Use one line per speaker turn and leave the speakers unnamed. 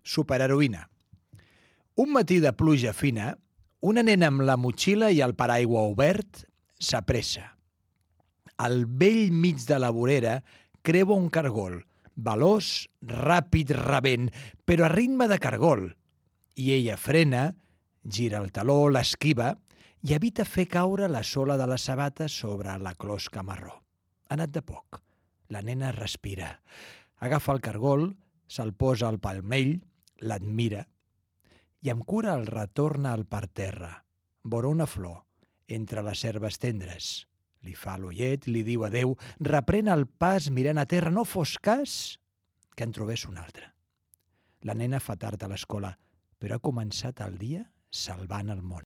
Superheroïna. Un matí de pluja fina, una nena amb la motxilla i el paraigua obert s'apressa. Al vell mig de la vorera creua un cargol, veloç, ràpid, rabent, però a ritme de cargol. I ella frena, gira el taló, l'esquiva i evita fer caure la sola de la sabata sobre la closca marró. Ha anat de poc. La nena respira. Agafa el cargol, se'l posa al palmell, l'admira i amb cura el retorna al parterre, vora una flor, entre les herbes tendres. Li fa l'ullet, li diu adeu, reprèn el pas mirant a terra, no fos cas que en trobés un altre. La nena fa tard a l'escola, però ha començat el dia salvant el món.